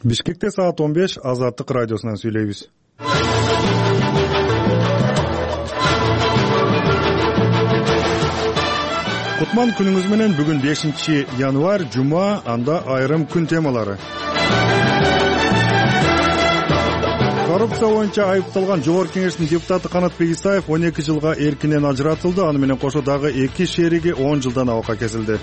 Бишкекте саат 15 Азаттык радиосунан сүйлөйбүз. Кутман күнүңүз менен. Бүгүн 5 январь, жума, анда айрым күн темалары. Коррупция боюнча айыпталган Жогорку Кеңештин депутаты Канатбек Исаев 12 жылга эркинен ажыратылды. Аны менен кошо дагы 2 шериги 10 жылдан абакка кесилди.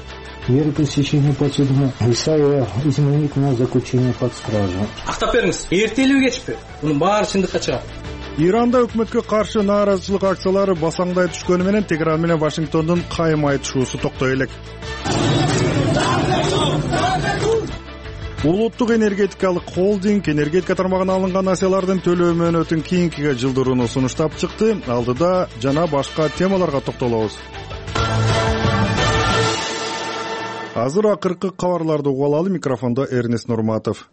Мера пресечения подсудимого Исаева изменить на заключение под стражу. Актап бериңиз. Эртелиби кечпи? Мунун баары чындыкка чыгат. Иранда өкмөткө каршы нааразычылык акциялары басаңдай түшкөнү менен Тегеран менен Вашингтондун кайым айтышуусу токтой элек. Улуттук энергетикалык холдинг энергетика тармагына алынган акциялардын төлөө мөөнөтүн кийинкиге жылдырууну сунуштап чыкты. Алдыда жана башка темаларга токтолобуз. Азыр акыркы кабарларды угуп алалы. Микрофондо Эрнест Нурматов.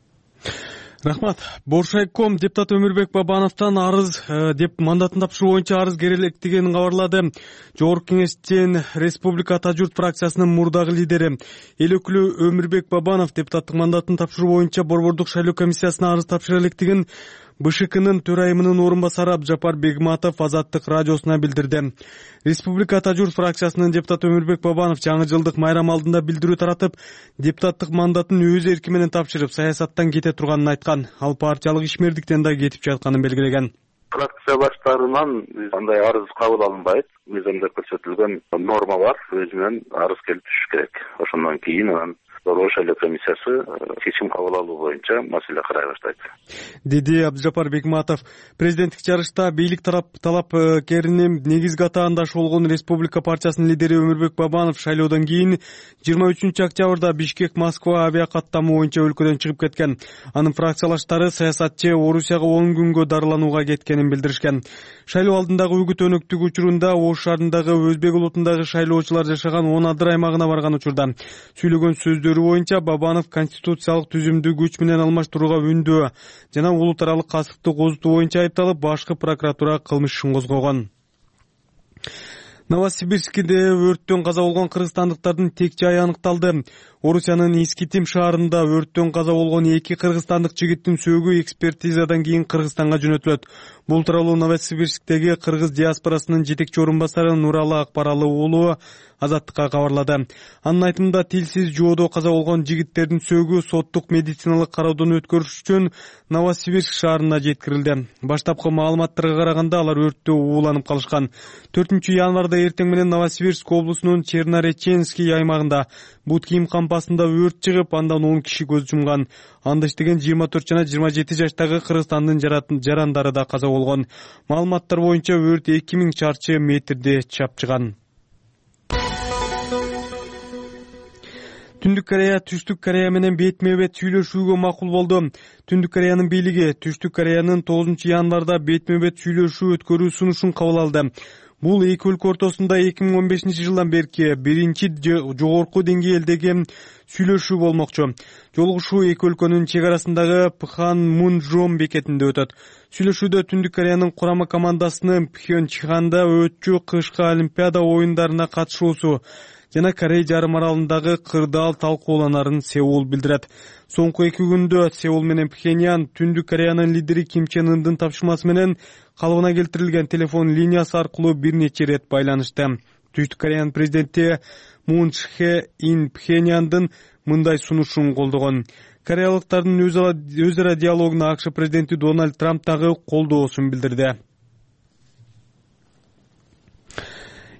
Рахмат. Боршайком депутат Өмүрбек Бабановдон арыз деп мандатын тапшыруу боюнча арыз керектигин кабарлады. Жогорку Кеңештин Республика Ата журт фракциясынын мурдагы лидери эл өкүлү Өмүрбек Бабанов депутаттык мандатын тапшыруу боюнча борбордук шайлоо комиссиясына арыз тапшыра электигин БШКнын төрайымынын орун басары Абджапар Бегматов Азаттык радиосуна билдирди. Республика Ата журт фракциясынын депутаты Өмүрбек Бабанов жаңы жылдык майрам алдында билдирүү таратып, депутаттык мандатын өз эрки менен тапшырып, саясаттан кете турганын айткан. Ал партиялык ишмердиктен да кетип жатканын белгилеген. Фракция баштарынан андай арыз кабыл алынбайт. Мыйзамда көрсөтүлгөн норма бар, өзүнөн арыз келип түшүш керек. Ошондон кийин анан Борбордук шайлоо комиссиясы чечим кабыл алуу боюнча маселе карай баштайт, деди Абджапар Бегматов. Президенттик жарышта бийлик талапкеринин негизги атаандашы болгон Республика партиясынын лидери Өмүрбек Бабанов шайлоодон кийин 23 октябрда Бишкек-Москва авиакаттамы боюнча өлкөдөн чыгып кеткен. Анын фракциялаштары саясатчы Орусияга 10 күнгө дарыланууга кеткенин билдиришкен. Шайлоо алдындагы үгүт өнөктүк учурунда Ош шаарындагы өзбек улутундагы шайлоочулар жашаган 10 адыр аймагына барган учурда сүйлөгөн сөздөрү боюнча Бабанов конституциялык түзүмдү күч менен алмаштырууга үндөө жана улут аралык касыпты козутуу боюнча айыпталып, башкы прокуратура кылмыш ишин козгогон. Новосибирскиде өрттөн каза болгон кыргызстандыктардын тек жайы аныкталды. Орусиянын Искитим шаарында өрттөн каза болгон 2 кыргызстандык жигиттин сөөгү экспертизадан кийин Кыргызстанга жөнөтүлөт. Бул тууралуу Новосибирсктеги кыргыз диаспорасынын жетекчи орун басары Нуралы Акбаралы уулу Азаттыкка кабарлады. Анын айтымында тилсиз жоодо каза болгон жигиттердин сөөгү соттук медициналык кароодон өткөрүш үчүн Новосибирск шаарына жеткирилди. Баштапкы маалыматтарга караганда алар өрттө ууланып калышкан. 4 январда эртең менен Новосибирск облусунун Чернореченский аймагында бут кийим кампасында өрт чыгып, андан 10 киши көз жумган. Анда иштеген 24 жана 27 жаштагы Кыргызстандын жарандары да каза болгон. Маалыматтар боюнча өрт 2000 чарчы метрде чапчыган. Түндүк Корея Түштүк Корея менен бетме-бет сүйлөшүүгө макул болду. Түндүк Кореянын бийлиги Түштүк Кореянын 9 январда бетме-бет сүйлөшүү өткөрүү сунушун кабыл алды. Бул эки өлкө ортосунда 2015 жылдан берки биринчи жогорку деңгээлдеги сүйлөшүү болмокчу. Жолугушуу эки өлкөнүн чек арасындагы Пханмунжом бекетинде өтөт. Сүйлөшүүдө Түндүк Кореянын курама командасынын Пхенчханда өтчү кышкы Олимпиада оюндарына катышуусу жана Корей жарым аралындагы кырдаал талкууланарын Сеул билдирет. Соңку 2 күндө Сеул менен Пхеньян Түндүк Кореянын лидери Ким Чен Ындын тапшырмасы менен калыбына келтирилген телефон линиясы аркылуу бир нече ирет байланышты. Түштүк Кореянын президенти Мун Чхе Ин Пхеньяндын мындай сунушун колдогон. Кореялыктардын өз ара диалогуна АКШ президенти Дональд Трамп дагы колдоосун билдирди.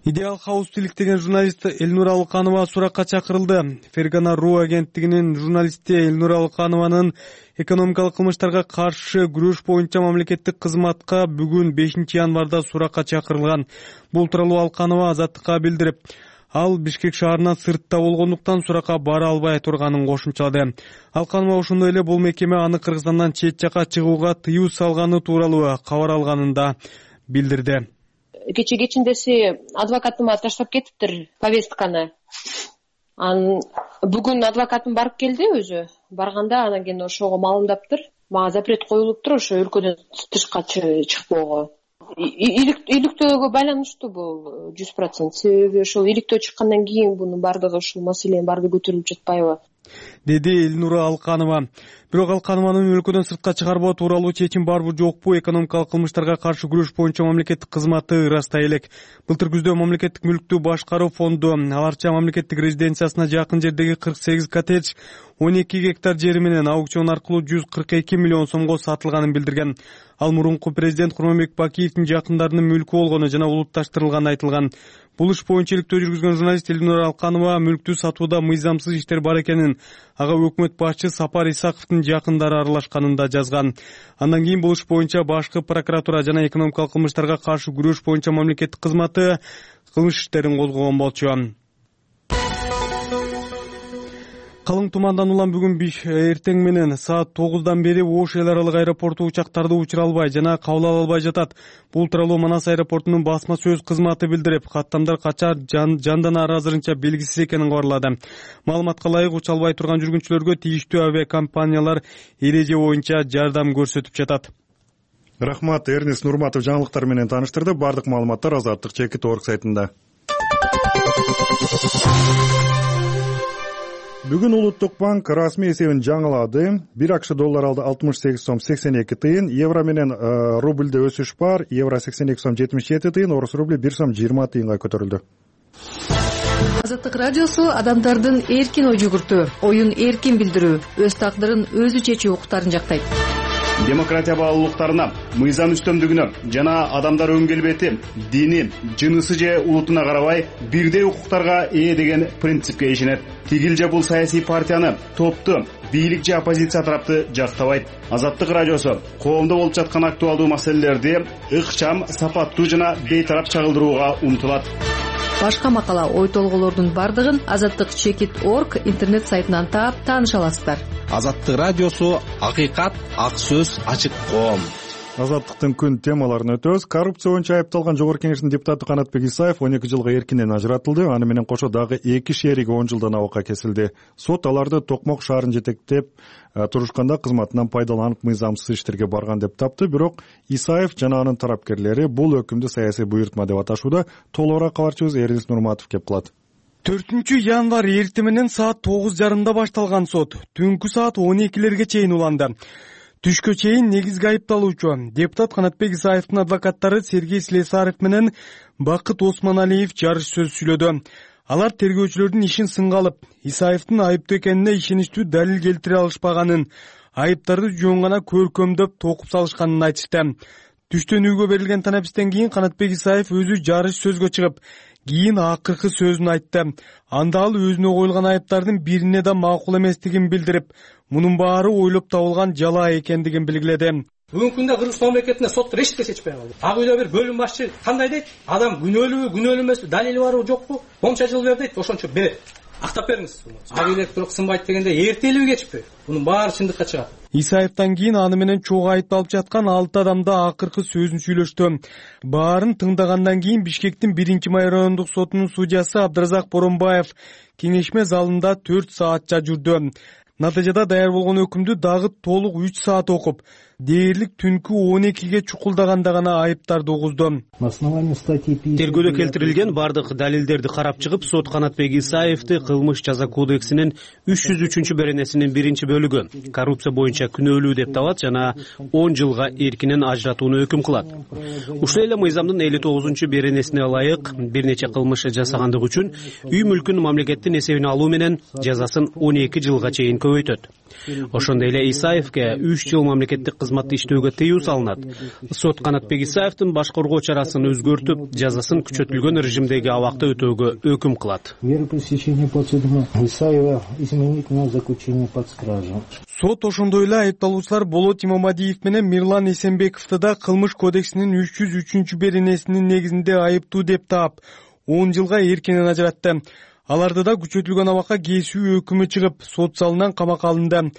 Идеал Хаус тиликтеген журналист Элнур Алыканова суракка чакырылды. Фергана.ру агенттигинин журналисти Элнур Алыканованын экономикалык кылмыштарга каршы күрөш боюнча мамлекеттик кызматка бүгүн 5 январда суракка чакырылган. Бул тууралуу Алыканова Азаттыкка билдирип, ал Бишкек шаарынан сыртта болгондуктан суракка бара албай турганын кошумчалады. Алыканова ошондой эле бул мекеме аны Кыргызстандан чет жакка чыгууга тыюу салганы тууралуу кабар алганын да билдирди. Кечиндеси адвокатыма таштап кетиптир повестканы. Бүгүн адвокатым барып келди өзү. Барганда анан кийин ошого маалымдаптыр. Мага запрет коюлуптур ошо өлкөдөн тышка чыкпоого. Иликтөөгө байланыштуу бул 100%. Себеби ошол иликтөө чыккандан кийин бунун бардыгы ушул маселенин баардыгы көтөрүлүп жатпайбы? деди Элнура Алканова. Бирок Алканованын өлкөдөн сыртка чыгарбоо тууралуу чечим барбы жокпу экономикалык кылмыштарга каршы күрөш боюнча мамлекеттик кызматы ырастай элек. Былтыр күздө мамлекеттик мүлктү башкаруу фонду аларча мамлекеттик резиденциясына жакын жердеги 48 коттедж 12 гектар жери менен аукцион аркылуу 142 миллион сомго сатылганын билдирген. Ал мурунку президент Курманбек Бакиевдин жакындарынын мүлкү болгону жана улутташтырылганы айтылган. Бул иш боюнча иликтөө жүргүзгөн журналист Элнура Алканова мүлктү сатууда мыйзамсыз иштер бар экенин, ага өкмөт башчы Сапар Исаковдун жакындары аралашканын да жазган. Андан кийин бул иш боюнча башкы прокуратура жана экономикалык кылмыштарга каршы күрөш боюнча мамлекеттик кызматы кылмыш иштерин козгогон болчу. Калың тумандан улам бүгүн эртең менен саат 9дан бери Ош эл аралык аэропорту учактарды учура албай жана кабыл ала албай жатат. Бул тууралуу Манас аэропортунун басма сөз кызматы билдирип, каттамдар качар жанданары азырынча белгисиз экенин кабарлады. Маалыматка ылайык уча албай турган жүргүнчүлөргө тийиштүү авиакомпаниялар эреже боюнча жардам көрсөтүп жатат. Рахмат, Эрнест Нурматов жаңылыктар менен тааныштырды. Бардык маалыматтар Азаттык Чекит орг сайтында. Бүгүн Улуттук банк расмий эсебин жаңылады. 1 акш доллар алды 68 сом 82 тыйын, евро менен рубльде өсүш бар. Евро 82 сом 77 тыйын, орус рубли 1 сом 20 тыйынга көтөрүлдү. Азаттык радиосу адамдардын эркин ой жүгүртүү, оюн эркин билдирүү, өз тагдырын өзү чечүү укуктарын жактайт. Демократия баалуулуктарына, мыйзам үстөмдүгүнө жана адамдар өң келбети, дини, жынысы же улутуна карабай бирдей укуктарга ээ деген принципке ишенет. Тигил же бул саясий партияны, топту, бийлик же оппозиция тарапты жактабайт. Азаттык радиосу коомдо болуп жаткан актуалдуу маселелерди ыкчам, сапаттуу жана бейтарап чагылдырууга умтулат. Башка макала, ой толголордун бардыгын Азаттык Чекит орг интернет сайтынан таап тааныша аласыздар. Азаттык радиосу акыйкат, ак сөз, ачык коом. Азаттыктын күн темаларын өтөбүз. Коррупция боюнча айыпталган Жогорку Кеңештин депутаты Канатбек Исаев 12 жылга эркинен ажыратылды. Аны менен кошо дагы 2 шериги 10 жылдан абакка кесилди. Сот аларды Токмок шаарын жетектеп турушканда кызматынан пайдаланып мыйзамсыз иштерге барган деп тапты. Бирок Исаев жана анын тарапкерлери бул өкүмдү саясий буйртма деп аташууда. Толугураак кабарчыбыз Эрнест Нурматов кеп кылат. 4 январь эртең менен саат 9:30 башталган сот түнкү саат 12лерге чейин уланды. Түшкө чейин негизги айыпталуучу депутат Канатбек Исаевдин адвокаттары Сергей Слесарев менен Бакыт Осмоналиев жарыш сөз сүйлөдү. Алар тергөөчүлөрдүн ишин сынга алып, Исаевдин айыптуу экенине ишеничтүү далил келтире алышпаганын, айыптарды жөн гана көркөмдөп токуп салышканын айтышты. Түштөн үйгө берилген танапистен кийин Канатбек Исаев өзү жарыш сөзгө чыгып, кийин акыркы сөзүн айтты. Анда ал өзүнө коюлган айыптардын бирине да макул эместигин билдирип, мунун баары ойлоп табылган жалаа экендигин белгиледи. Бүгүнкү күндө Кыргызстан мамлекетинде соттор эчтеке чечпей калды. Ак үйдө бир бөлүм башчы кандай дейт? Адам күнөөлүүбү, күнөөлүү эмеспи, далили барбы, жокпу? Боңча жыл бер дейт, ошончо берет. Актап бериңиз. Ак үйлер бирок сынбайт дегенде эртелиби кечпи? Мунун баары чындыкка чыгат. Исаевден кийин аны менен чогуу айыпталып жаткан 6 адам да акыркы сөзүн сүйлөштү. Баарын тыңдагандан кийин Бишкектин 1-май райондук сотунун судьясы Абдыразак Боронбаев кеңешме залында 4 саатча жүрдү. Натыйжада даяр болгон өкүмдү дагы толук 3 саат окуп, дээрлик түнкү 12ге чукулдаганда гана айыптарды угузду. Тергөөдө келтирилген бардык далилдерди карап чыгып, сот Канатбек Исаевди кылмыш жаза кодексинин 303 беренесинин 1-бөлүгү коррупция боюнча күнөөлүү деп табат жана 10 жылга эркинен ажыратууну өкүм кылат. Ушул эле мыйзамдын 59 беренесине ылайык бир нече кылмыш жасагандык үчүн үй мүлкүн мамлекеттин эсебине алуу менен жазасын 12 жылга чейин көбөйтөт. Ошондой эле Исаевге 3 жыл мамлекеттик кызматты иштөөгө тыюу салынат. Сот Канатбек Исаевдин башкаргоо чарасын өзгөртүп, жазасын күчөтүлгөн режимдеги абакта өтөөгө өкүм кылат. Сот ошондой эле айыпталуучулар Болот Имамадиев менен Мирлан Эсенбековду да кылмыш кодексинин 303 беренесинин негизинде айыптуу деп таап, 10 жылга эркинен ажыратты. Аларды да күчөтүлгөн абакка кесүү өкүмү чыгып, сот залынан камакка алынды.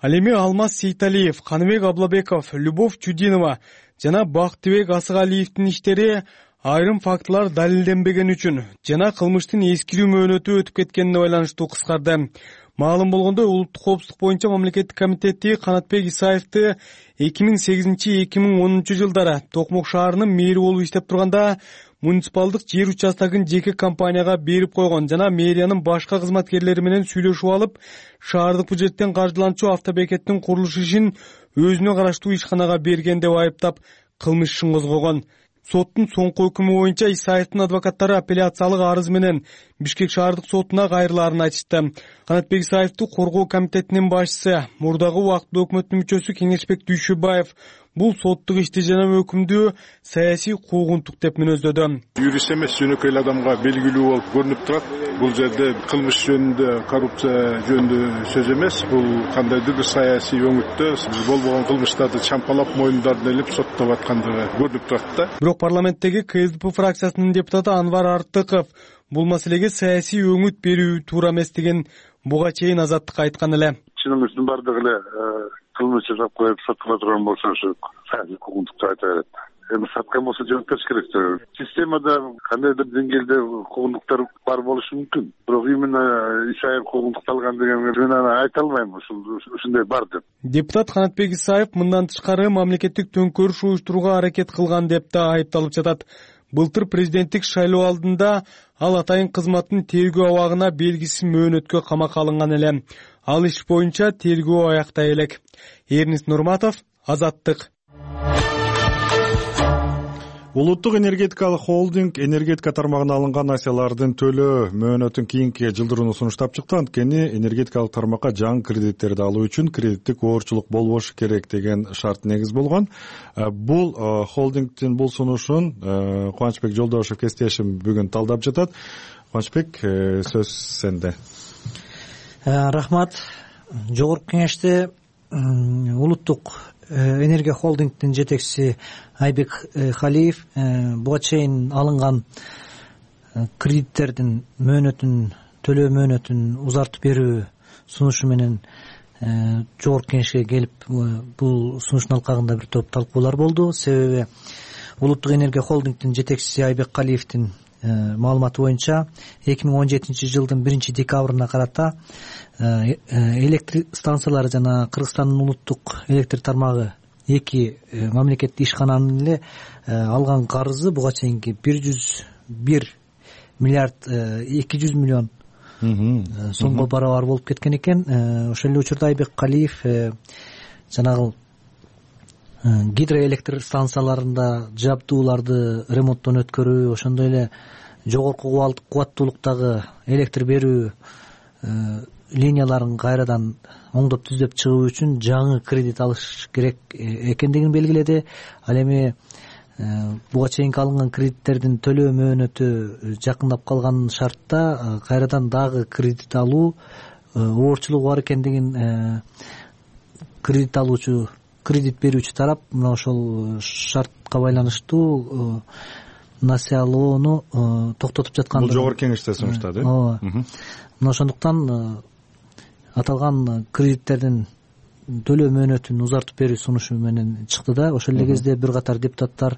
Ал эми Алмаз Сейталиев, Каныбек Аблабеков, Любовь Чудинова жана Бактыбек Асыгалиевдин иштери айрым фактылар далилденбеген үчүн жана кылмыштын эскирүү мөөнөтү өтүп кеткенине байланыштуу кыскарды. Маалым болгондой, улуттук коопсуздук боюнча мамлекеттик комитети Канатбек Исаевди 2008-2010 жылдары Токмок шаарынын мэри болуп иштеп турганда муниципалдык жер участогун жеке компанияга берип койгон жана мэриянын башка кызматкерлери менен сүйлөшүп алып, шаардык бюджеттен каржыланчу автобекеттин курулуш ишин өзүнө караштуу ишканага берген деп айыптап кылмыш ишин козгогон. Соттун соңку өкүмү боюнча Исаевдин адвокаттары апелляциялык арыз менен Бишкек шаардык сотуна кайрылаарын айтышты. Канатбек Исаевди коргоо комитетинин башчысы, мурдагы убактылуу өкмөттүн мүчөсү Кеңешбек Дүйшөбаев бул соттук ишти жана өкүмдү саясий куугунтук деп мүнөздөдү. Юрист эмес, жөнөкөй эле адамга белгилүү болуп көрүнүп турат. Бул жерде кылмыш жөнүндө, коррупция жөнүндө сөз эмес, бул кандайдыр бир саясий өңүттө болбогон кылмыштарды чампалап мойнундарын илип соттоп аткандыгы көрүнүп турат да. Бирок парламенттеги КСДП фракциясынын депутаты Анвар Артыков бул маселеге саясий өңүт берүү туура эмес деген буга чейин Азаттыкка айткан эле. Чынымыздын бардыгы эле кылмыш жасап коюп соткула турган болсо ушу саясий куугунтукту айта берет. Эми саткан болсо жооп бериш керек. Системада кандайдыр деңгээлде куугунтуктар бар болушу мүмкүн. Бирок именно Исаев куугунтукталган деген мен аны айта албайм, ушундай бар деп. Депутат Канатбек Исаев мындан тышкары мамлекеттик төңкөрүш уюштурууга аракет кылган деп да айыпталып жатат. Былтыр президенттик шайлоо алдында ал атайын кызматтын тергөө абагына белгисиз мөөнөткө камакка алынган эле. Ал иш боюнча тергөө аяктай элек. Эрнис Нурматов, Азаттык. Улуттук энергетикалык холдинг энергетика тармагына алынган акциялардын төлөө мөөнөтүн кийинки жылдырууну сунуштап чыкты. Анткени энергетикалык тармакка жаңы кредиттерди алуу үчүн кредиттик оорчулук болбошу керек деген шарт негиз болгон. Бул холдингдин бул сунушун Кубанычбек Жолдошев кесиптешим бүгүн талдап жатат. Кубанычбек, сөз сенде. Рахмат. Жогорку кеңеште улуттук энергия холдингдин жетекчиси Айбек Халиев буга чейин алынган кредиттердин төлөө мөөнөтүн узартып берүү сунушу менен жогорку кеңешке келип бул сунуштун алкагында бир топ талкуулар болду. Себеби улуттук энергия холдингдин жетекчиси Айбек Халиевдин маалыматы боюнча 2017 жылдын 1-декабрына карата электр станциялары жана Кыргызстандын улуттук электр тармагы эки мамлекеттик ишкананын эле алган карызы буга чейинки 101 миллиард 200 миллион сомго барабар болуп кеткен экен. Ошол эле учурда Айбек Калиев жанагы гидроэлектр станцияларында жабдууларды ремонттон өткөрүү, ошондой эле жогорку кубаттуулуктагы электр берүү линияларын кайрадан оңдоп түздөп чыгуу үчүн жаңы кредит алыш керек экендигин белгиледи. Ал эми буга чейинки алынган кредиттердин төлөө мөөнөтү жакындап калган шартта кайрадан дагы кредит алуу оорчулугу бар экендигин кредит берүүчү тарап мына ошол шартка байланыштуу насыялоону токтотуп жаткан. Бул жогорку кеңеште сунуштады. Ооба. Мына ошондуктан аталган кредиттердин төлөө мөөнөтүн узартып берүү сунушу менен чыкты да. Ошол эле кезде бир катар депутаттар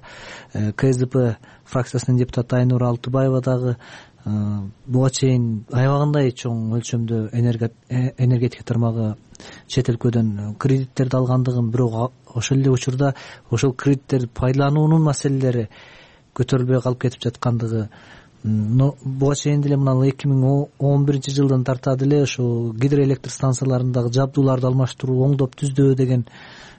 КСДП фракциясынын депутаты Айнура Алтыбаева дагы буга чейин аябагандай чоң өлчөмдө энергетика тармагы чет өлкөдөн кредиттерди алгандыгын, бирок ошол эле учурда ошол кредиттерди пайдалануунун маселелери көтөрүлбөй калып кетип жаткандыгы, буга чейин деле мына 2011 жылдан тарта деле ошо гидроэлектр станцияларындагы жабдууларды алмаштыруу, оңдоп түздөө деген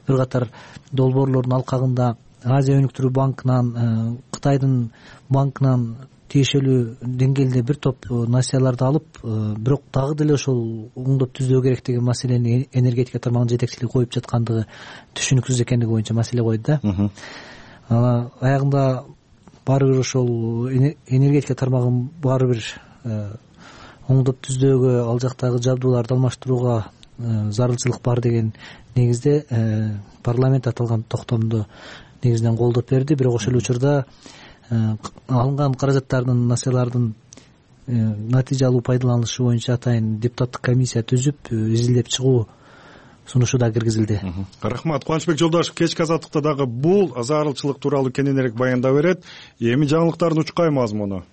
бир катар долбоорлордун алкагында Азия өнүктүрүү банкынан, Кытайдын банкынан тиешелүү деңгээлде бир топ насыяларды алып, бирок дагы деле ошол оңдоп түздөө керек деген маселени энергетика тармагынын жетекчилиги коюп жаткандыгы түшүнүксүз экендиги боюнча маселе койду да. Аягында баары бир ошол энергетика тармагын баары бир оңдоп түздөөгө, ал жактагы жабдууларды алмаштырууга зарылчылык бар деген негизде парламент аталган токтомду негизинен колдоп берди. Бирок ошол учурда алынган каражаттардын, насыялардын натыйжалуу пайдаланышы боюнча атайын депутаттык комиссия түзүп изилдеп чыгуу сунушу да киргизилди. Рахмат. Кубанычбек Жолдошев кечки азаттыкта дагы бул зарылчылык тууралуу кененирээк баяндап берет. Эми жаңылыктардын учкай мазмуну.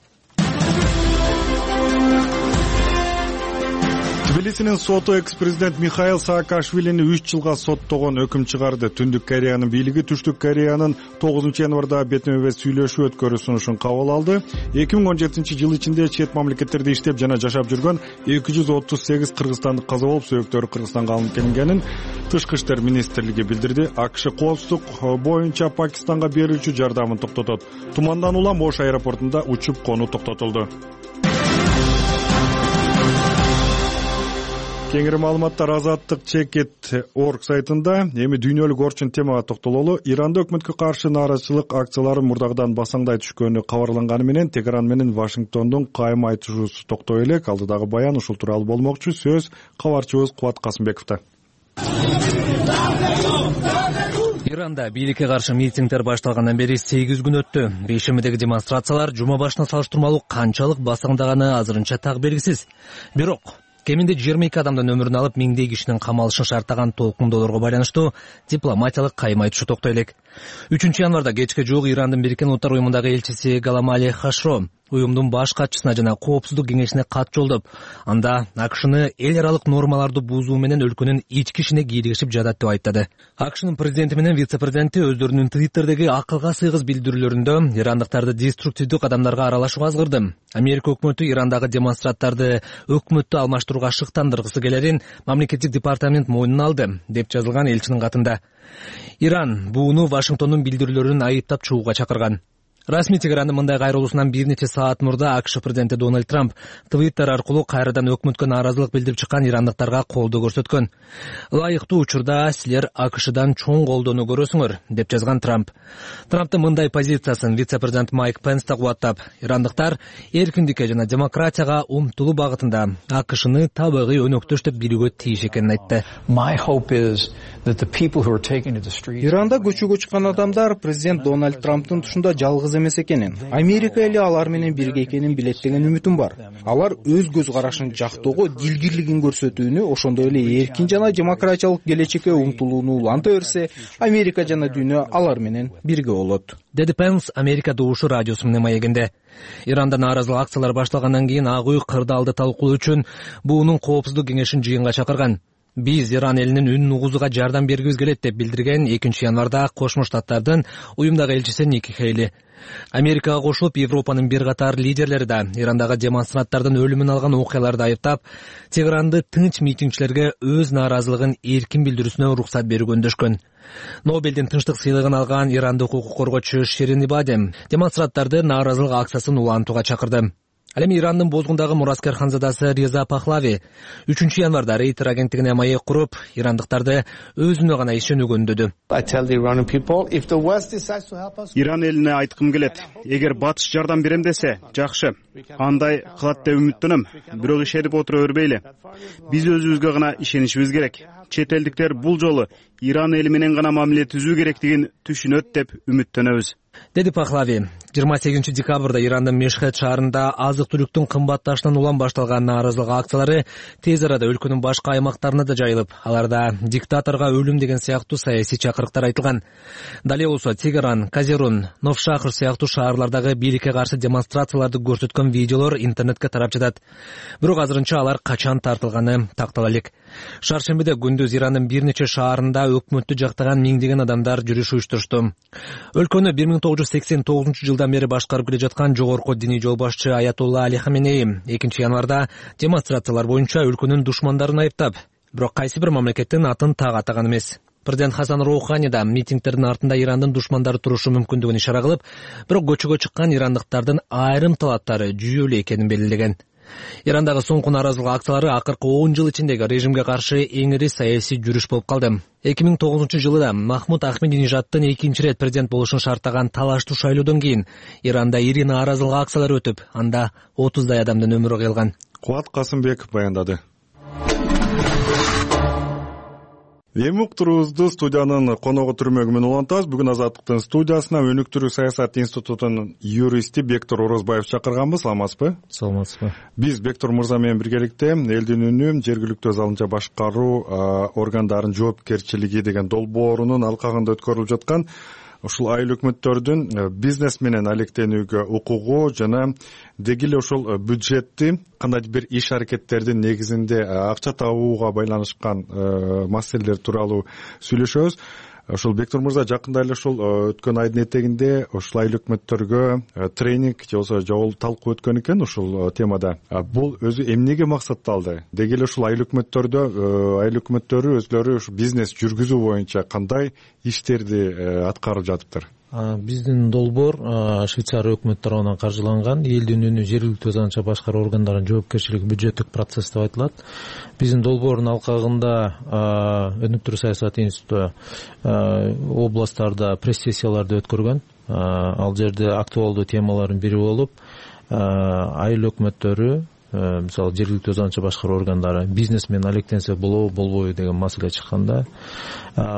Тбилисинин соту экс-президент Михаил Саакашвилини 3 жылга соттогон өкүм чыгарды. Түндүк Кореянын бийлиги Түштүк Кореянын 9-январда бетме-бет сүйлөшүү өткөрүү сунушун кабыл алды. 2017-жыл ичинде чет мамлекеттерде иштеп жана жашап жүргөн 238 кыргызстандык каза болуп, сөөктөрү Кыргызстанга алынып келингенин Тышкы иштер министрлиги билдирди. АКШ коопсуздук боюнча Пакистанга берүүчү жардамын токтотот. Тумандан улам Ош аэропортунда учуп конуу токтотулду. Кеңири маалыматтар Азаттык Чекет.org сайтында. Эми дүйнөлүк орчун темага токтололу. Иранда өкмөткө каршы нааразычылык акциялары мурдагыдан басаңдай түшкөнү кабарланганы менен Тегеран менен Вашингтондун кайым айтышуусу токтой элек. Алдыдагы баян ушул тууралуу болмокчу. Сөз кабарчыбыз Кубат Касымбековдо. Иранда бийликке каршы митингдер башталгандан бери 8 күн өттү. Бейшемидеги демонстрациялар жума башына салыштырмалуу канчалык басаңдаганы азырынча так белгисиз. Бирок кеминде 22 адамдын өмүрүн алып, миңдей кишинин камалышын шарттаган толкундоолорго байланыштуу дипломатиялык кайым айтышы токтой элек. 3-январда кечке жуук Ирандын Бириккен Улуттар уюмундагы элчиси Галамали Хашро уюмдун баш катчысына жана коопсуздук кеңешине кат жолдоп, анда АКШны эл аралык нормаларды бузуу менен өлкөнүн ички ишине кийлигишип жатат деп айттады. АКШнын президенти менен вице-президенти өздөрүнүн Твиттердеги акылга сыйгыз билдирүүлөрүндө ирандыктарды деструктивдүү кадамдарга аралашууга азгырды. Америка өкмөтү Ирандагы демонстранттарды өкмөттү алмаштырууга шыктандыргысы келерин мамлекеттик департамент мойнуна алды, деп жазылган элчинин катында. Иран бууну Вашингтондун билдирүүлөрүн айыптап чыгууга чакырган. Расмий Тегерандын мындай кайрылуусунан бир нече саат мурда АКШ президенти Дональд Трамп Твиттер аркылуу кайрадан өкмөткө нааразылык билдирип чыккан ирандыктарга колдоо көрсөткөн. Ылайыктуу учурда силер АКШдан чоң колдоону көрөсүңөр, деп жазган Трамп. Трамптын мындай позициясын вице-президент Майк Пенс да кубаттап, ирандыктар эркиндикке жана демократияга умтулуу багытында АКШны табигый өнөктөш деп билүүгө тийиш экенин айтты. Иранда көчөгө чыккан адамдар президент Дональд Трамптын тушунда жалгыз эмес экенин, Америка эли алар менен бирге экенин билет деген үмүтүм бар. Алар өз көз карашын жактоого, дилгирлигин көрсөтүүнү, ошондой эле эркин жана демократиялык келечекке умтулууну уланта берсе, Америка жана дүйнө алар менен бирге болот, деди Пенс Америка добушу радиосу менен маегинде. Иранда нааразылык акциялар башталгандан кийин Ак үй кырдаалды талкуулоо үчүн буунун коопсуздук кеңешин жыйынга чакырган. Биз Иран элинин үнүн угузуга жардам бергибиз келет деп билдирген 2-январда Кошмо Штаттардын уюмдагы элчиси Ники Хейли. Америкага кошулуп, Европанын бир катар лидерлери да Ирандагы демонстранттардын өлүмүн алган окуяларды айыптап, Тегеранды тынч митингчилерге өз нааразылыгын эркин билдирүүсүнө уруксат берүүгө үндөшкөн. Нобелдин тынчтык сыйлыгын алган ирандык укук коргоочу Ширин Ибадем демонстранттарды нааразылык акциясын улантууга чакырды. Ал эми Ирандын Бозгундагы мураскер ханзадасы Реза Пахлави 3-январда Рейтер агенттигине маек куруп, ирандыктарды өзүнө гана ишенүүгө үндөдү. Иран элине айткым келет, эгер батыш жардам берем десе, жакшы. Андай кылат деп үмүттөнөм, бирок ишенип отура бербейли. Биз өзүбүзгө гана ишенишибиз керек. Чет элдиктер бул жолу Иран эли менен гана мамиле түзүү керектигин түшүнөт деп үмүттөнөбүз, деди Пахлави. 28-декабрда Ирандын Мешхед шаарында азык-түлүктүн кымбатташынан улам башталган нааразылык акциялары тез арада өлкөнүн башка аймактарына да жайылып, аларда диктаторго өлүм деген сыяктуу саясий чакырыктар айтылган. Дале болсо Тегеран, Казерун, Новшахр сыяктуу шаарлардагы бийликке каршы демонстрацияларды көрсөткөн видеолор интернетке тарап жатат. Бирок азырынча алар качан тартылганы тактала элек. Шаршембиде күндүз Ирандын бир нече шаарында өкмөттү жактаган миңдеген адамдар жүрүш уюштурушту. Өлкөнү 1989-жылдан бери башкарып келе жаткан жогорку диний жол башчы Аятолла Али Хаменеи 2-январда демонстрациялар боюнча өлкөнүн душмандарын айыптап, бирок кайсы бир мамлекеттин атын так атаган эмес. Президент Хасан Роухани да митингдердин артында Ирандын душмандары турушу мүмкүндүгүн ишара кылып, бирок көчөгө чыккан ирандыктардын айрым талаптары жүйөлүү экенин белгилеген. Ирандагы соңку нааразылык акциялары акыркы 10 жыл ичиндеги режимге каршы эң ири саясий жүрүш болуп калды. 2009-жылы Махмуд Ахмединежадтын 2-нчи рет президент болушун шарттаган талаштуу шайлоодон кийин Иранда ири нааразылык акциялары өтүп, анда 30дай адамдын өмүрү кыйылган. Кубат Касымбеков баяндады. Эми уктуруубузду студиянын коногу түрмөгү менен улантабыз. Бүгүн Азаттыктын студиясына өнүктүрүү саясат институтунун юристи Бектор Орозбаев чакырганбыз. Саламатсызбы? Саламатсызбы. Биз Бектор мырза менен биргеликте элдин үнү, жергиликтүү өз алынча башкаруу органдарынын жоопкерчилиги деген долбоорунун алкагында өткөрүлүп жаткан ушул айыл өкмөттөрдүн бизнес менен алектенүүгө укугу жана деги эле ушул бюджетти кандайдыр бир иш аракеттердин негизинде акча табууга байланышкан маселелер тууралуу сүйлөшөбүз. Ошол Бектур мырза жакында эле ушул өткөн айдын этегинде ушул айыл өкмөттөргө тренинг же болбосо талкуу өткөн экен ушул темада. Бул өзү эмнеге максатталды? Деги эле ушул айыл өкмөттөрү өзлөрү ушу бизнес жүргүзүү боюнча кандай иштерди аткарып жатыптыр? Биздин долбоор Швейцария өкмөтү тарабынан каржыланган элдин үнү жергиликтүү өз анча башкаруу органдарынын жоопкерчилиги бюджеттик процесс деп айтылат. Биздин долбоордун алкагында өнүктүрүү саясаты институту областтарда пресс-сессияларды өткөргөн. Ал жерде актуалдуу темалардын бири болуп айыл өкмөттөрү мисалы жергиликтүү өз анча башкаруу органдары бизнес менен алектенсе болобу болбойбу деген маселе чыкканда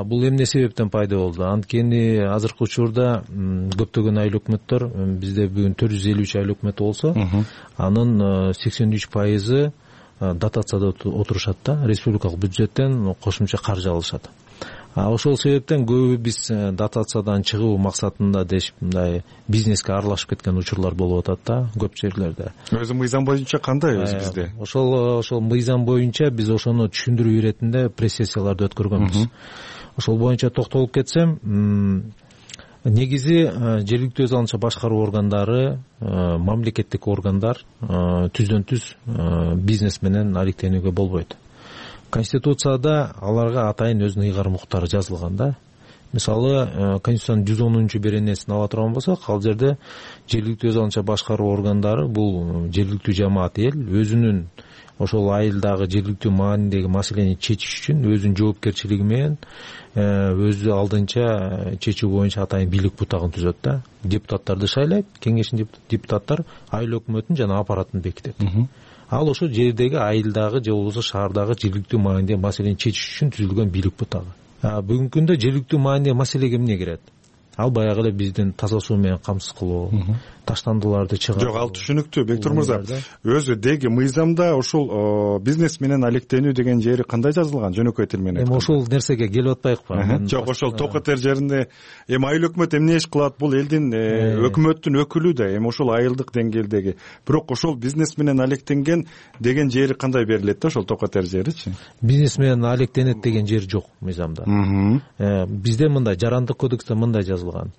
бул эмне себептен пайда болду? Анткени азыркы учурда көптөгөн айыл өкмөттөр бизде бүгүн 453 айыл өкмөтү болсо анын 83% дотацияда отурушат да, республикалык бюджеттен кошумча каржы алышат. Ошол себептен көбү биз дотациядан чыгуу максатында дешип мындай бизнеске аралашып кеткен учурлар болуп атат да көп жерлерде. Өзү мыйзам боюнча кандай өзү бизде? Ошол мыйзам боюнча биз ошону түшүндүрүү иретинде пресс-сессияларды өткөргөнбүз. Ошол боюнча токтолуп кетсем, негизи жергиликтүү өз алынча башкаруу органдары, мамлекеттик органдар түздөн түз бизнес менен алектенүүгө болбойт. Конституцияда аларга атайын өзүнүн ыйгарым укуктары жазылган да. Мисалы, Конституциянын 110 беренесин ала турган болсок, ал жерде жергиликтүү өз алынча башкаруу органдары бул жергиликтүү жамаат эл өзүнүн ошол айылдагы жергиликтүү маанидеги маселени чечиш үчүн өзүнүн жоопкерчилиги менен өзү алдынча чечүү боюнча атайын бийлик бутагын түзөт да. Депутаттарды шайлайт, кеңештин депутаттар айыл өкмөтүн жана аппаратын бекитет. Ал ошо жердеги айылдагы же болбосо шаардагы жергиликтүү маанидеги маселени чечиш үчүн түзүлгөн бийлик бутагы. Бүгүнкү күндө жергиликтүү маанидеги маселеге эмне кирет? Ал баягы эле биздин таза суу менен камсыз кылуу, таштандыларды чыгаруу. Жок, ал түшүнүктүү, Бектур мырза. Өзү деги мыйзамда ушул бизнес менен алектенүү деген жери кандай жазылган, жөнөкөй тил менен? Эми ошол нерсеге келип атпайыкпы? Жок, ошол токотер жеринде эми айыл өкмөт эмне иш кылат? Бул элдин өкмөттүн өкүлү да, эми ошол айылдык деңгээлдеги. Бирок ошол бизнес менен алектенген деген жери кандай берилет да, ошол токотер жеричи? Бизнес менен алектенет деген жер жок мыйзамда. Бизде мындай жарандык кодексте мындай жазылган.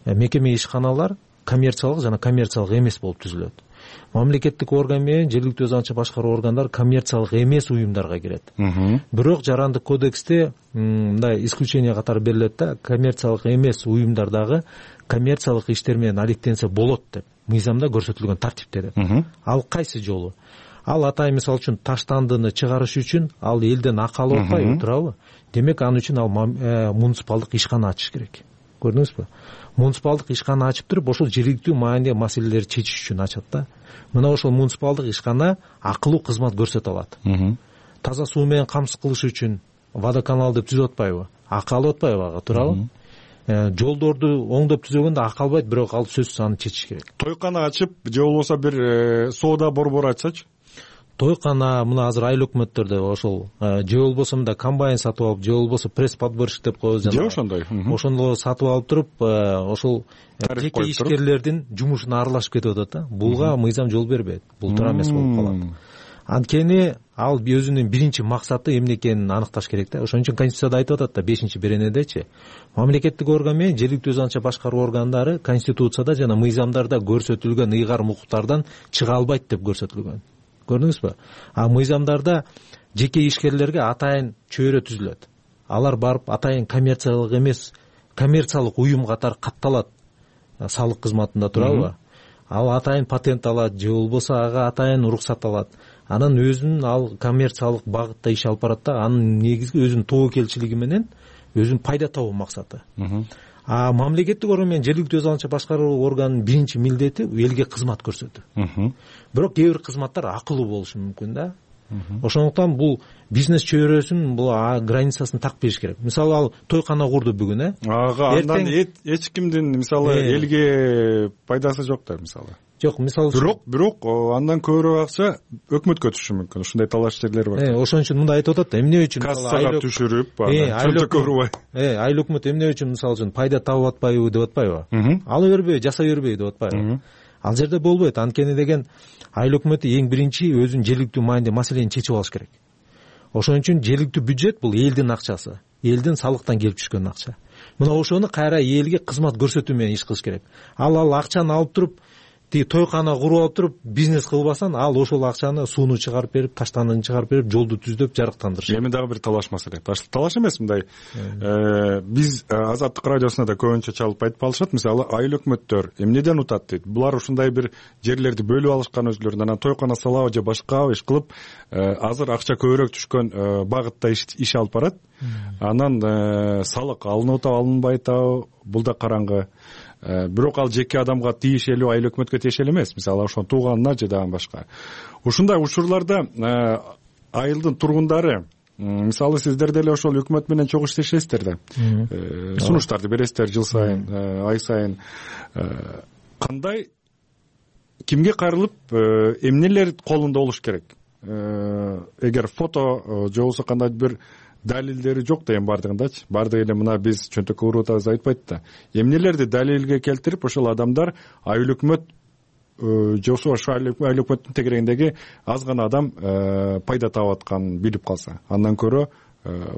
Мекеме ишканалар коммерциялык жана коммерциялык эмес болуп түзүлөт. Мамлекеттик орган менен жергиликтүү өз анча башкаруу органдар коммерциялык эмес уюмдарга кирет. Бирок жарандык кодексте мындай исключение катары берилет да, коммерциялык эмес уюмдардагы коммерциялык иштер менен алектенсе болот деп мыйзамда көрсөтүлгөн тартипте деп. Ал кайсы жолу? Ал атайын мисалы үчүн таштандыны чыгарыш үчүн ал элден акы алып атпайбы, туурабы? Демек аны үчүн ал муниципалдык ишкана ачыш керек. Көрдүңүзбү? Муниципалдык ишкана ачып туруп, ошол жергиликтүү маанидеги маселелерди чечиш үчүн ачат да. Мына ошол муниципалдык ишкана акылуу кызмат көрсөтө алат. Таза суу менен камсыз кылыш үчүн водоканал деп түзүп атпайбы? Акы алып атпайбы ага, туурабы? Жолдорду оңдоп түзөгөндө акы албайт, бирок ал сөзсүз аны чечиш керек. Тойкана ачып, же болбосо бир соода борбору ачсачы? Тойкана мына азыр айыл өкмөттөрдө ошол же болбосо мында комбайн сатып алып, же болбосо пресс-подборщик деп коебуз жана. Же ошондой. Ошондо сатып алып туруп, ошол жеке ишкерлердин жумушуна аралашып кетип атат да. Булга мыйзам жол бербейт. Бул туура эмес болуп калат. Анткени ал өзүнүн биринчи максаты эмне экенин аныкташ керек да. Ошон үчүн Конституцияда айтып атат да, 5-беренедечи. Мамлекеттик орган менен жергиликтүү өз анча башкаруу органдары Конституцияда жана мыйзамдарда көрсөтүлгөн ыйгарым укуктардан чыга албайт деп көрсөтүлгөн. Көрдүңүзбү? Мыйзамдарда жеке ишкерлерге атайын чөйрө түзүлөт. Алар барып атайын коммерциялык эмес, коммерциялык уюм катары катталат салык кызматында, туурабы? Ал атайын патент алат, же болбосо ага атайын уруксат алат. Анан өзүнүн ал коммерциялык багытта иш алып барат да, анын негизги өзүнүн тобокелчилиги менен өзүнүн пайда табуу максаты. Мамлекеттик орган менен жергиликтүү өз алынча башкаруу органынын биринчи милдети элге кызмат көрсөтүү. Бирок кээ бир кызматтар акылуу болушу мүмкүн да. Ошондуктан бул бизнес чөйрөсүн бул границасын так бериш керек. Мисалы ал тойкана курду бүгүн, ага андан эч кимдин мисалы элге пайдасы жок да, мисалы. жок мисалы үчүн бирок андан көбүрөөк акча өкмөткө түшүшү мүмкүн. Ушундай талаш жерлер бар. Ошон үчүн мындай айтып атат да, эмне үчүн кассага түшүрүп чөнтөккө урбай. Айыл өкмөт эмне үчүн мисалы үчүн пайда табып атпайбы деп атпайбы? Ала бербей, жасай бербей деп атпайбы? Ал жерде болбойт. Анткени деген айыл өкмөтү эң биринчи өзүнүн жергиликтүү маанидеги маселени чечип алыш керек. Ошон үчүн жергиликтүү бюджет бул элдин акчасы, элдин салыктан келип түшкөн акча. Мына ошону кайра элге кызмат көрсөтүү менен иш кылыш керек. Ал акчаны алып туруп тиги тойкана куруп алып туруп бизнес кылбасан, ал ошол акчаны сууну чыгарып берип, таштанын чыгарып берип, жолду түздөп, жарыктандырыш. Эми дагы бир талаш маселе. Талаш эмес мындай. Биз Азаттык радиосуна да көбүнчө чалып айтып алышат. Мисалы, айыл өкмөттөр эмнеден утат дейт. Булар ушундай бир жерлерди бөлүп алышкан өзүлөрүнө, анан тойкана салабы же башка иш кылып, азыр акча көбүрөөк түшкөн багытта иш алып барат. Анан салык алынып атабы, алынбай атабы, бул да караңгы. Бирок ал жеке адамга тиешелүү, айыл өкмөткө тиешелүү эмес. Мисалы, ошо тууганына же дагы башка. Ушундай учурларда айылдын тургундары, мисалы, сиздер деле ошол өкмөт менен чогуу иштешесиздер да. Сунуштарды бересиздер жыл сайын, ай сайын. Кандай, кимге кайрылып, эмнелер колунда болуш керек? Эгер фото же болбосо кандай бир далилдери жок да, эми бардыгындачы. Бардыгы эле мына биз чөнтөккө уруп атабыз айтпайт да. Эмнелерди далилге келтирип, ошол адамдар айыл өкмөт же болбосо айыл өкмөттүн тегерегиндеги аз гана адам пайда таап атканын билип калса, андан көрө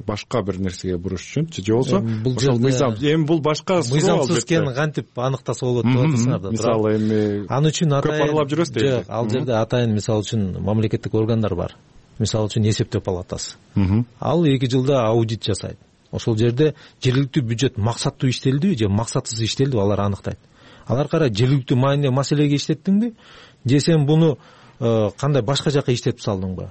башка бир нерсеге буруш үчүнчү же болбосо ошол мыйзам, эми бул башка мыйзамсыз экенин кантип аныктаса болот деп атасыңар да. Мисалы, эми ал үчүн көп аралап жүрөсүз дейт. Ал жерде атайын мисалы үчүн мамлекеттик органдар бар. Мисалы үчүн эсептөө палатасы. Ал 2 жылда аудит жасайт. Ошол жерде жергиликтүү бюджет максаттуу иштелдиби же максатсыз иштелдиби, алар аныктайт. Алар кара жергиликтүү маанидеги маселеге иштеттиңби же сен буну кандай башка жака иштетип салдыңбы?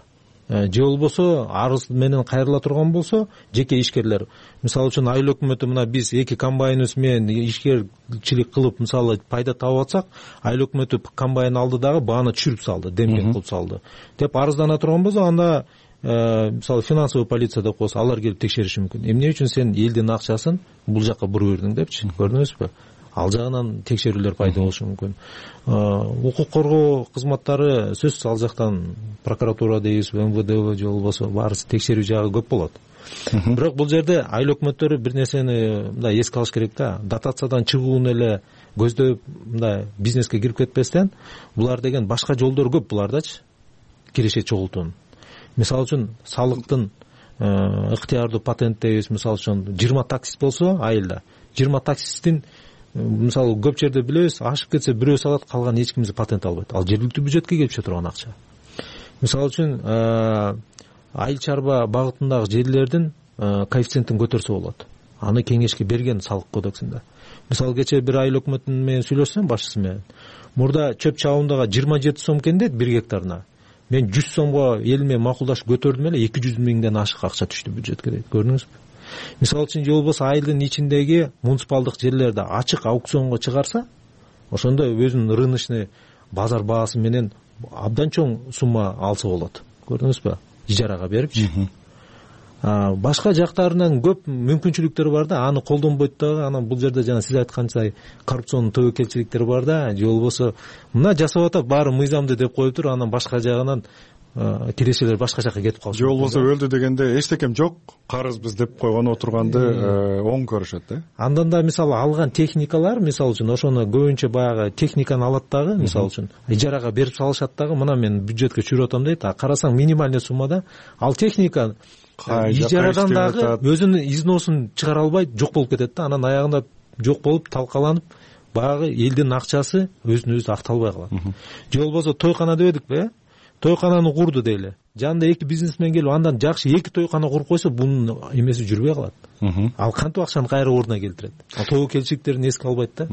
Же болбосо арыз менен кайрыла турган болсо жеке ишкерлер, мисалы үчүн айыл өкмөтү мына биз 2 комбайныбыз менен ишкерчилик кылып мисалы пайда таап атсак, айыл өкмөтү комбайн алды дагы бааны түшүрүп салды, демпинг кылып салды деп арыздана турган болсо, анда мисалы финансовый полиция деп койсо алар келип текшериши мүмкүн. Эмне үчүн сен элдин акчасын бул жака буруп бердиң депчи, көрдүңүзбү? Ал жагынан текшерүүлөр пайда болушу мүмкүн. Укук коргоо кызматтары сөзсүз ал жактан прокуратура дейбизби, МВД же болбосо баарысы текшерүү жагы көп болот. Бирок бул жерде айыл өкмөттөрү бир нерсени мындай эске алыш керек да. Дотациядан чыгууну эле көздөп мындай бизнеске кирип кетпестен, булар деген башка жолдор көп булардачы. Киреше чогултуунун. Мисалы үчүн салыктын ыктыярдуу патент дейбиз, мисалы үчүн 20 таксист болсо айылда, 20 таксисттин мисалы көп жерде билебиз, ашып кетсе бирөө салат, калган эч кимиз патент албайт. Ал жергиликтүү бюджетке келип түшө турган акча. Мисалы үчүн айыл чарба багытындагы жерлердин коэффициентин көтөрсө болот. Аны кеңешке берген салык кодексинде. Мисалы кечээ бир айыл өкмөтү менен сүйлөшсөм, башчысы менен. Мурда чөп чабымдага 27 сом экен дейт 1 гектарына. Мен 100 сомго эл менен макулдашып көтөрдүм эле, 200 миңден ашык акча түштү бюджетке дейт. Көрдүңүзбү? Мисалы үчүн же болбосо айылдын ичиндеги муниципалдык жерлерди ачык аукционго чыгарса, ошондо өзүнүн рыночный базар баасы менен абдан чоң сумма алса болот. Көрдүңүзбү? Ижарага берипчи. Башка жактарынан көп мүмкүнчүлүктөр бар да, аны колдонбойт дагы. Анан бул жерде жана сиз айтканча коррупциондун тобокелчиликтери бар да, же болбосо мына жасап атат, баары мыйзамдуу деп коюп тур, анан башка жагынан тирешелер башка жака кетип калышы. Же болбосо өлдү дегенде эчтекем жок, карызбыз деп койгон отурганды оң көрүшөт да. Андан да мисалы алган техникалар, мисалы үчүн ошону көбүнчө баягы техниканы алат дагы, мисалы үчүн ижарага берип салышат дагы, мына мен бюджетке чүгүрүп атам дейт. Карасаң минимальный суммада ал техника ижарадан дагы өзүнүн износун чыгара албай жок болуп кетет да. Анан аягында жок болуп талкаланып баягы элдин акчасы өзүнө өзү акталбай калат. Же болбосо тойкана дебедикпи? Тойкананы курду дейли. Жанында 2 бизнесмен келип, андан жакшы 2 тойкана куруп койсо, бунун эмеси жүрбөй калат. Ал кантип акчаны кайра ордуна келтирет? Тобокелчиликтерин эске албайт да.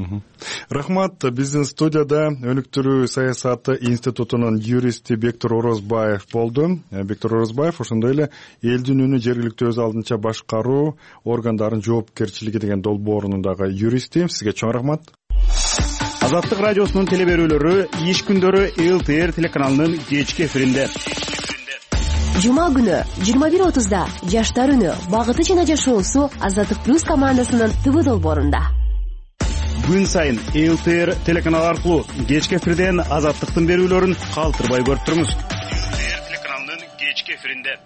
Рахмат. Биздин студияда өнүктүрүү саясаты институтунун юристи Бектур Орозбаев болду. Бектур Орозбаев ошондой эле элдин үнү жергиликтүү өз алдынча башкаруу органдарынын жоопкерчилиги деген долбоорунун дагы юристи. Сизге чоң рахмат. Азаттык радиосунун телеберүүлөрү иш күндөрү ЛТР телеканалынын кечки эфиринде. Жума күнү 21:30да Жаштар үнү багыты жана жашоосу Азаттык плюс командасынын ТВ долбоорунда. күн сайын ЛТР телеканалы аркылуу кечки эфирден Азаттыктын берүүлөрүн калтырбай көрүп туруңуз. ЛТР телеканалынын кечки эфиринде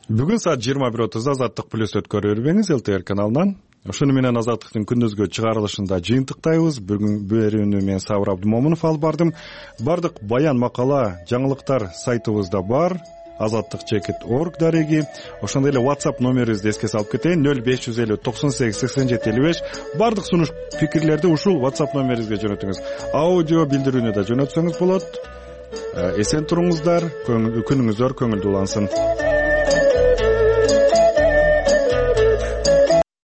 бүгүн саат 21:30 Азаттык плюс өткөрүп бербеңиз ЛТР каналынан. Ошону менен Азаттыктын күндүзгү чыгарылышында жыйынтыктайбыз. Бүгүн берүүнү мен Сабыр Абдымомунов алып бардым. Бардык баян, макала, жаңылыктар сайтыбызда бар. azattik.org дареги. Ошондой эле WhatsApp номерибизди эске салып кетейин: 0550 98 87 55. Бардык сунуш пикирлерди ушул WhatsApp номерибизге жөнөтүңүз. Аудио билдирүүнү да жөнөтсөңүз болот. Эсен туруңуздар, күнүңүздөр көңүлдүү улансын.